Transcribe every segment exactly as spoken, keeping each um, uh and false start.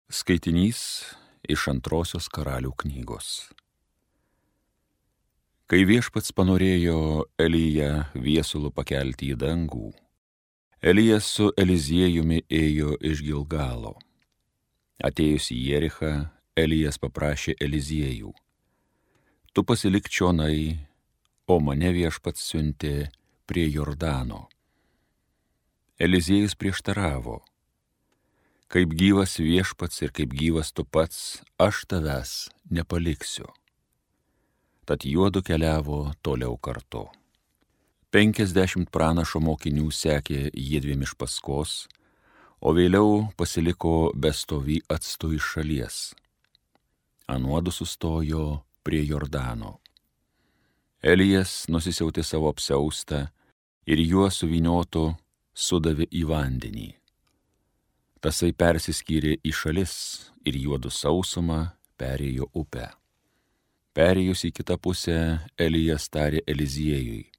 Skaitinys iš antrosios Karalių knygos. Kai viešpats panorėjo Eliją viesulu pakelti į dangų, Elijas su Eliziejumi ėjo iš Gilgalo. Atėjus į Jerichą, Elijas paprašė Eliziejų: tu pasilik čionai, o mane viešpats siuntė prie Jordano. Eliziejus prieštaravo: kaip gyvas viešpats ir kaip gyvas tu pats, aš tavęs nepaliksiu. Tad juodu keliavo toliau kartu. Penkiasdešimt pranašo mokinių sekė jiedviem iš paskos, o vėliau pasiliko bestovį atstu iš šalies. Anuodu sustojo prie Jordano. Elijas nusisiautė savo apsiaustą ir juo suvyniotu sudavė į vandenį. Tasai persiskyrė į šalis ir juodu sausumą perėjo upę. Perėjus į kitą pusę, Elijas tarė Eliziejui: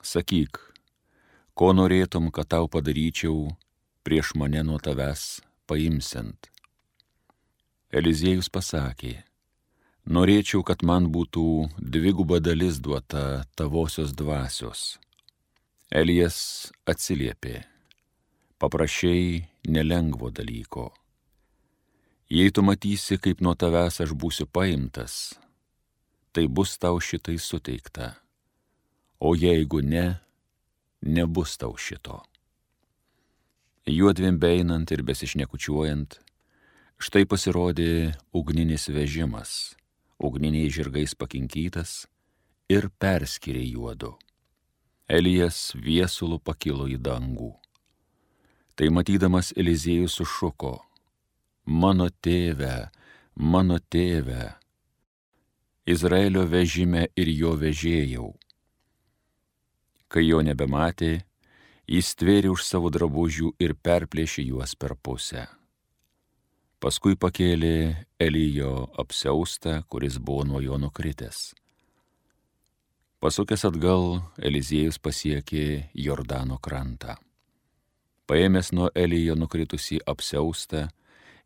sakyk, ko norėtum, kad tau padaryčiau prieš mane nuo tavęs paimsiant. Eliziejus pasakė: norėčiau, kad man būtų dviguba dalis duota tavosios dvasios. Elijas atsiliepė: paprašei nelengvo dalyko. Jei tu matysi, kaip nuo tavęs aš būsiu paimtas, tai bus tau šitai suteikta, o jeigu ne, nebus tau šito. Juodviem beeinant ir besišnekučiuojant, štai pasirodė ugninis vežimas, ugniniais žirgais pakinkytas, ir perskyrė juodu. Elijas viesulu pakilo į dangų. Tai matydamas Eliziejus sušuko: mano tėve, mano tėve, Izraelio vežime ir jo vežėjau. Kai jo nebematė, jis stvėrė už savo drabužių ir perplėšė juos per pusę. Paskui pakėlė Elijo apsiaustą, kuris buvo nuo jo nukritęs. Pasukęs atgal, Eliziejus pasiekė Jordano krantą. Paėmęs nuo Elijo nukritusį apsiaustą,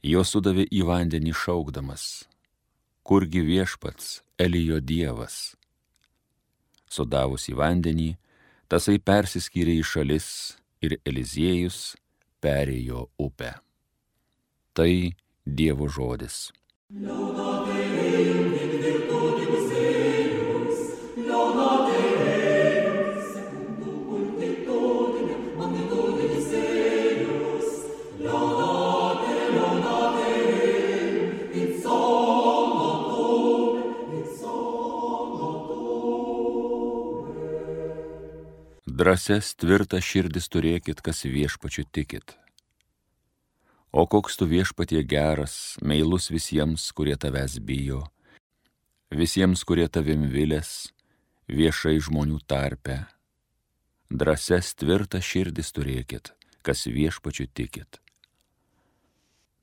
jo sudavė į vandenį šaukdamas: kurgi viešpats, Elijo dievas? Sudavus į vandenį, tasai persiskyrė į šalis ir Eliziejus perėjo upę. Tai Dievo žodis. Drąsias tvirtas širdis turėkit, kas viešpačiu tikit. O koks tu viešpatie geras, meilus visiems, kurie tavęs bijo, visiems, kurie tavim vilės, viešai žmonių tarpe. Drąsias tvirtas širdis turėkit, kas viešpačiu tikit.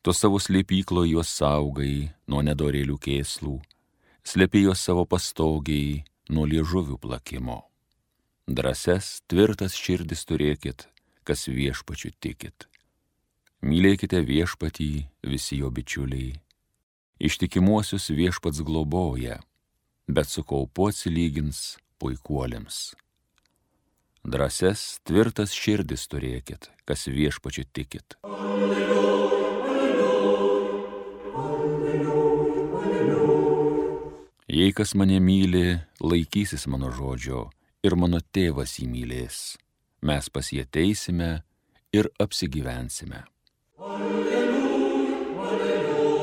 Tu savo slėpyklo juos saugai nuo nedorėlių kėslų, slėpi juos savo pastogiai nuo liežuvių plakimo. Drąsias, tvirtas širdis turėkit, kas viešpačiu tikit. Mylėkite viešpatį visi jo bičiuliai. Ištikimuosius viešpats globoja, bet su kaupu atsilygins puikuoliams. Drąsias, tvirtas širdis turėkit, kas viešpačiu tikit. Alleluja, alleluja, alleluja. Jei kas mane myli, laikysis mano žodžio, ir mano tėvas jį mylės. Mes pas jį ateisime ir apsigyvensime. Alleluja, alleluja.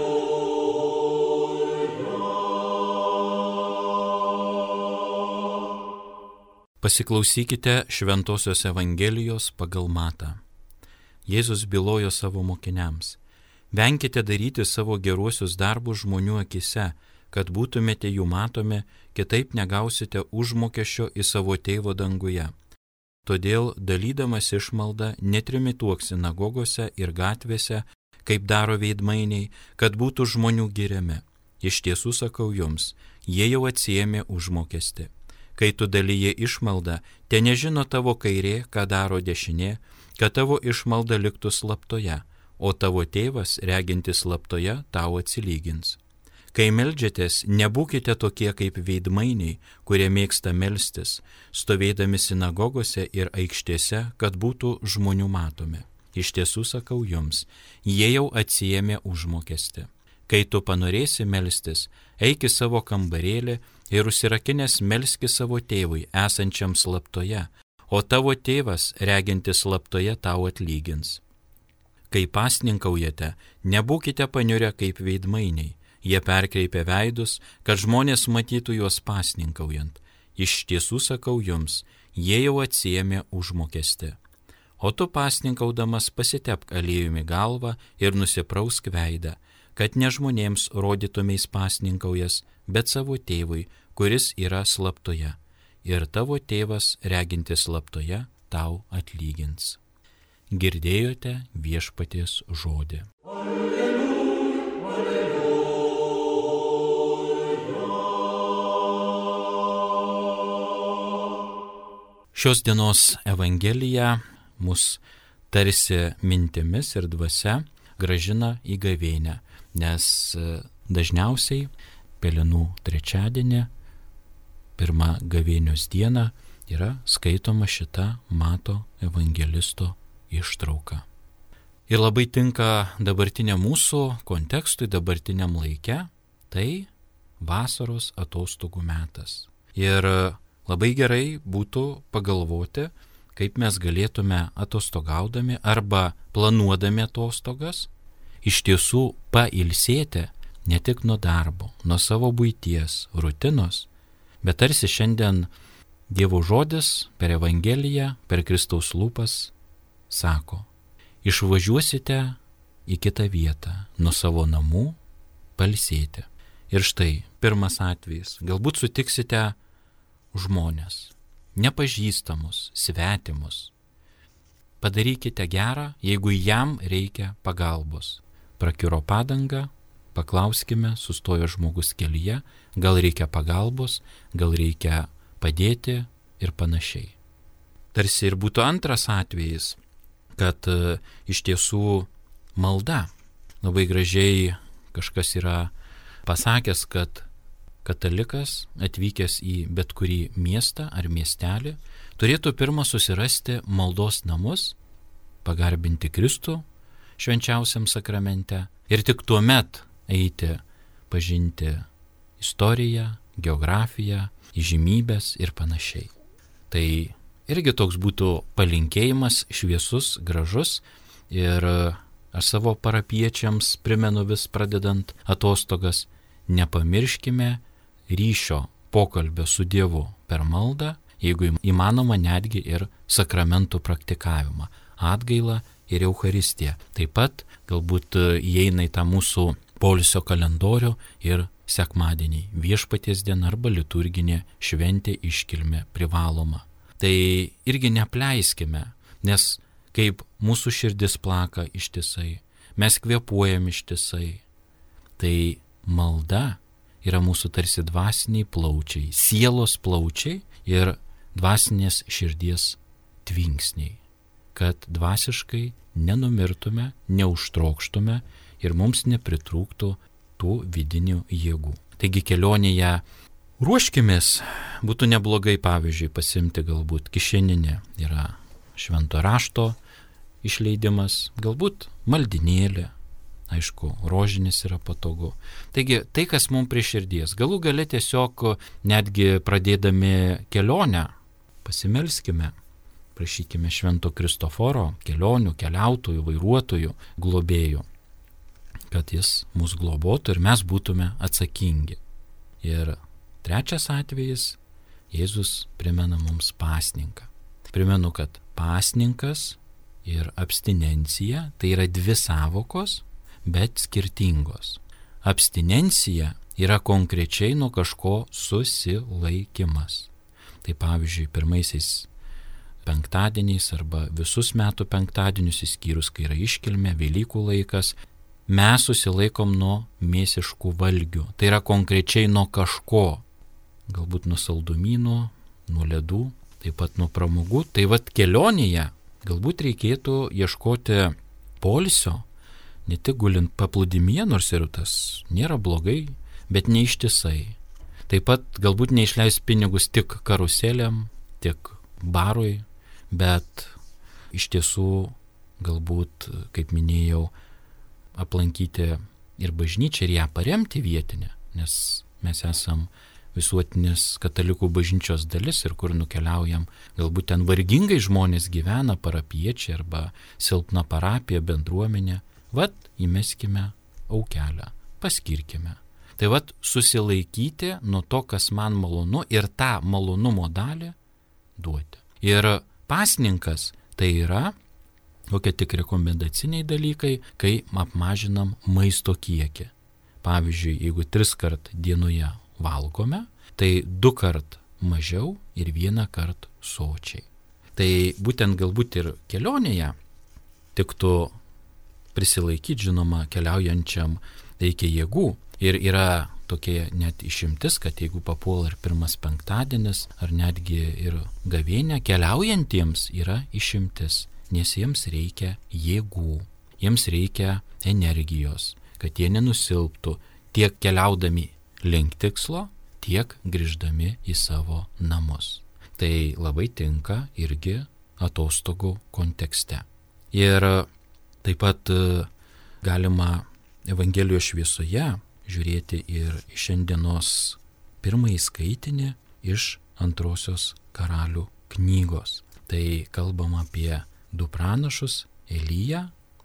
Pasiklausykite Šventosios Evangelijos pagal Matą. Jėzus bylojo savo mokiniams: venkite daryti savo geruosius darbus žmonių akise, kad būtumėte jų matomi, kitaip negausite užmokesčio į savo tėvo danguje. Todėl, dalydamas išmaldą, netrimituok sinagogose ir gatvėse, kaip daro veidmainiai, kad būtų žmonių giriami. Iš tiesų sakau jums, jie jau atsiėmė užmokestį. Kai tu dalyji išmaldą, te nežino tavo kairė, ką daro dešinė, kad tavo išmalda liktų slaptoje, o tavo tėvas, regintis slaptoje, tau atsilygins. Kai meldžiatės, nebūkite tokie kaip veidmainiai, kurie mėgsta melstis, stovėdami sinagogose ir aikštėse, kad būtų žmonių matomi. Iš tiesų sakau jums, jie jau atsiėmė užmokestį. Kai tu panorėsi melstis, eik į savo kambarėlį ir užsirakinęs melski savo tėvui, esančiam slaptoje, o tavo tėvas, regintis slaptoje, tau atlygins. Kai pasninkaujate, nebūkite paniurę kaip veidmainiai. Jie perkreipia veidus, kad žmonės matytų juos pasninkaujant. Iš tiesų sakau jums, jie jau atsiėmė užmokestį. O tu pasninkaudamas pasitepk aliejumi galvą ir nusiprausk veidą, kad ne žmonėms rodytumeis pasninkaujas, bet savo tėvui, kuris yra slaptoje. Ir tavo tėvas, regintis slaptoje, tau atlygins. Girdėjote viešpaties žodį. Šios dienos Evangelija mus tarsi mintimis ir dvasia grąžina į gavėnią, nes dažniausiai Pelenų trečiadienį, pirmą gavėnios dieną, yra skaitoma šita Mato evangelisto ištrauka. Ir labai tinka dabartiniam mūsų kontekstui, dabartiniam laike, tai vasaros atostogų metas. Ir labai gerai būtų pagalvoti, kaip mes galėtume atostogaudami arba planuodami atostogas iš tiesų pailsėti ne tik nuo darbo, nuo savo buities, rutinos, bet tarsi šiandien Dievo žodis per Evangeliją, per Kristaus lūpas sako, išvažiuosite į kitą vietą, nuo savo namų pailsėti. Ir štai pirmas atvejis, galbūt sutiksite žmonės, nepažįstamus, svetimus. Padarykite gerą, jeigu jam reikia pagalbos. Prakiuro padanga, paklauskime, sustojo žmogus kelyje, gal reikia pagalbos, gal reikia padėti ir panašiai. Tarsi ir būtų antras atvejis, kad e, iš tiesų malda. Labai gražiai kažkas yra pasakęs, kad katalikas, atvykęs į bet kurį miestą ar miestelį, turėtų pirmą susirasti maldos namus, pagarbinti Kristų švenčiausiam sakramente ir tik tuomet eiti pažinti istoriją, geografiją, įžymybės ir panašiai. Tai irgi toks būtų palinkėjimas šviesus, gražus ir aš savo parapiečiams primenu vis pradedant atostogas, nepamirškime ryšio pokalbio su Dievu per maldą, jeigu įmanoma netgi ir sakramentų praktikavimą, atgailą ir Eucharistiją. Taip pat galbūt įeina į tą mūsų poilsio kalendorių ir sekmadieniai, viešpaties diena arba liturginė šventė iškilmė privaloma. Tai irgi neapleiskime, nes kaip mūsų širdis plaka ištisai, mes kvėpuojam ištisai, tai malda yra mūsų tarsi dvasiniai plaučiai, sielos plaučiai ir dvasinės širdies tvinksniai, kad dvasiškai nenumirtume, neužtrokštume ir mums nepritrūktų tų vidinių jėgų. Taigi kelionėje ruoškimės, būtų neblogai pavyzdžiui pasimti galbūt kišeninė, yra švento rašto išleidimas, galbūt maldinėlė, aišku, rožinis yra patogu. Taigi tai, kas mums prie širdies, galų gale tiesiog netgi pradėdami kelionę, pasimelskime, prašykime švento Kristoforo, kelionių, keliautojų, vairuotojų, globėjų, kad jis mus globotų ir mes būtume atsakingi. Ir trečias atvejis, Jėzus primena mums pasninką. Primenu, kad pasninkas ir abstinencija tai yra dvi sąvokos, bet skirtingos. Abstinencija yra konkrečiai nuo kažko susilaikimas. Tai pavyzdžiui, pirmaisiais penktadieniais arba visus metų penktadienius, išskyrus, kai yra iškilmė, Velykų laikas, mes susilaikom nuo mėsiškų valgių. Tai yra konkrečiai nuo kažko. Galbūt nuo saldumynų, nuo ledų, taip pat nuo pramogų. Tai vat kelionėje galbūt reikėtų ieškoti poilsio ne tik gulint paplūdimyje, nors ir tas nėra blogai, bet neištisai. Taip pat galbūt neišleis pinigus tik karuselėm, tik barui, bet iš tiesų galbūt, kaip minėjau, aplankyti ir bažnyčią ir ją paremti vietinę, nes mes esam visuotinės katalikų bažnyčios dalis ir kur nukeliaujam, galbūt ten vargingai žmonės gyvena, parapiečiai arba silpna parapija, bendruomenė, vat įmeskime aukelę, paskirkime. Tai vat susilaikyti nuo to, kas man malonu ir tą malonumo dalį duoti. Ir pasninkas tai yra kokie tik rekomendaciniai dalykai, kai apmažinam maisto kiekį. Pavyzdžiui, jeigu tris kart dienoje valgome, tai du kart mažiau ir vieną kart sočiai. Tai būtent galbūt ir kelionėje tiktų prisilaikyti, žinoma, keliaujančiam reikia jėgų. Ir yra tokie net išimtis, kad jeigu papuola ir pirmas penktadienis, ar netgi ir gavėnė, keliaujantiems yra išimtis, nes jiems reikia jėgų, jiems reikia energijos, kad jie nenusilptų tiek keliaudami link tikslo, tiek grįždami į savo namus. Tai labai tinka irgi atostogų kontekste. Ir taip pat galima Evangelijos šviesoje žiūrėti ir šiandienos pirmąjį skaitinį iš antrosios karalių knygos. Tai kalbama apie du pranašus, Eliją,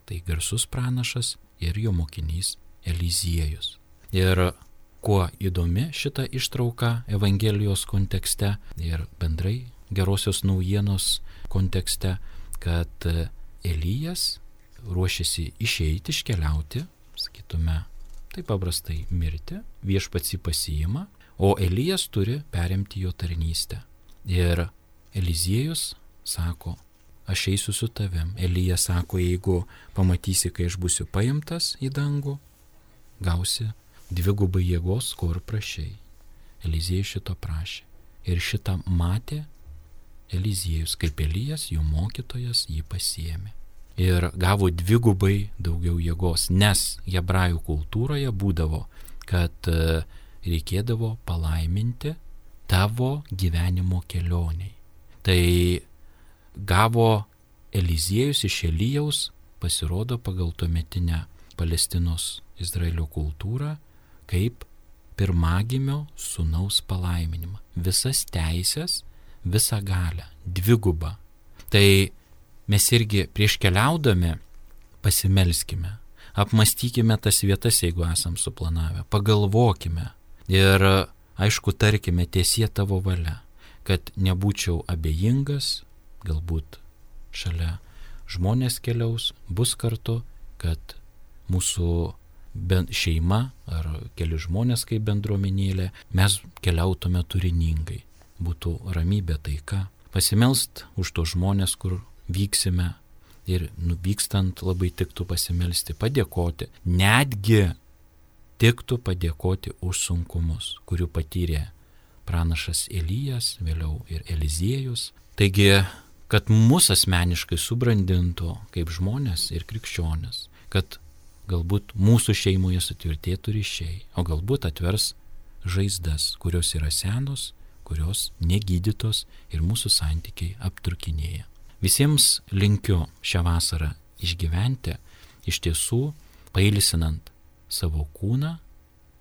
tai garsus pranašas, ir jo mokinys Eliziejus. Ir kuo įdomi šita ištrauka Evangelijos kontekste ir bendrai gerosios naujienos kontekste, kad Elijas ruošiasi išeiti, iškeliauti, sakytume, taip paprastai mirti, viešpats jį pasiima, o Elijas turi perimti jo tarnystę. Ir Eliziejus sako, aš eisiu su tavim. Elija sako, jeigu pamatysi, kai aš būsiu paimtas į dangų, gausi dvigubai jėgos, ko ir prašei. Eliziejus šito prašė. Ir šitą matė Eliziejus, kaip Elijas, jų mokytojas, jį pasiėmė. Ir gavo dvigubai daugiau jėgos, nes hebrajų kultūroje būdavo, kad reikėdavo palaiminti tavo gyvenimo kelioniai. Tai gavo Eliziejus iš Elijaus, pasirodo pagal tuometinę Palestinos Izraelio kultūrą, kaip pirmagimio sūnaus palaiminimą. Visas teisės, visą galią, dvigubą. Tai mes irgi prieš keliaudami pasimelskime, apmastykime tas vietas, jeigu esam suplanavę, pagalvokime ir, aišku, tarkime, tiesie tavo valia, kad nebūčiau abejingas, galbūt šalia žmonės keliaus, bus kartu, kad mūsų šeima ar keli žmonės kaip bendruomenėlė, mes keliautume turiningai, būtų ramybė, taika. Pasimelst už tos žmonės, kur vyksime ir nuvykstant labai tiktų pasimelsti, padėkoti. Netgi tiktų padėkoti už sunkumus, kurių patyrė pranašas Elijas, vėliau ir Eliziejus. Taigi, kad mus asmeniškai subrandintų kaip žmonės ir krikščionis, kad galbūt mūsų šeimoje sutvirtėtų ryšiai, o galbūt atvers žaizdas, kurios yra senos, kurios negydytos ir mūsų santykiai apturkinėja. Visiems linkiu šią vasarą išgyventi, iš tiesų pailsinant savo kūną,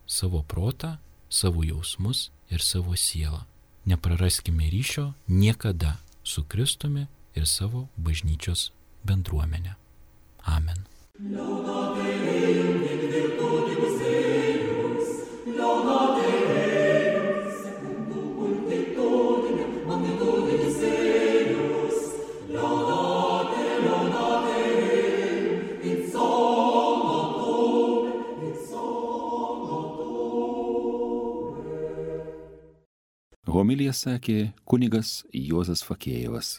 savo protą, savo jausmus ir savo sielą. Nepraraskime ryšio niekada su Kristumi ir savo bažnyčios bendruomenė. Amen. Homiliją sakė kunigas Juozas Fakėjevas.